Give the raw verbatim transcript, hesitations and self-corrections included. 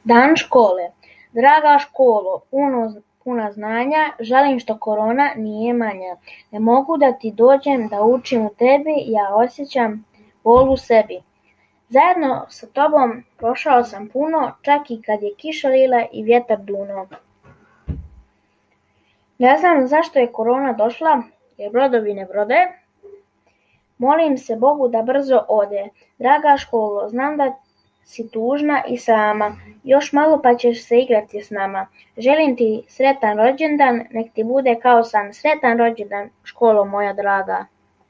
Dan škole. Draga školo, puno, puna znanja, žalim što korona nije manja. Ne mogu da ti dođem da učim u tebi, ja osjećam bol u sebi. Zajedno sa tobom prošao sam puno, čak i kad je kiša lila i vjetar duno. Ne znam zašto je korona došla, jer brodovi ne brode. Molim se Bogu da brzo ode. Draga školo, znam da si tužna i sama. Još malo pa ćeš se igrati s nama. Želim ti sretan rođendan, nek ti bude kao san. Sretan rođendan, školo moja draga.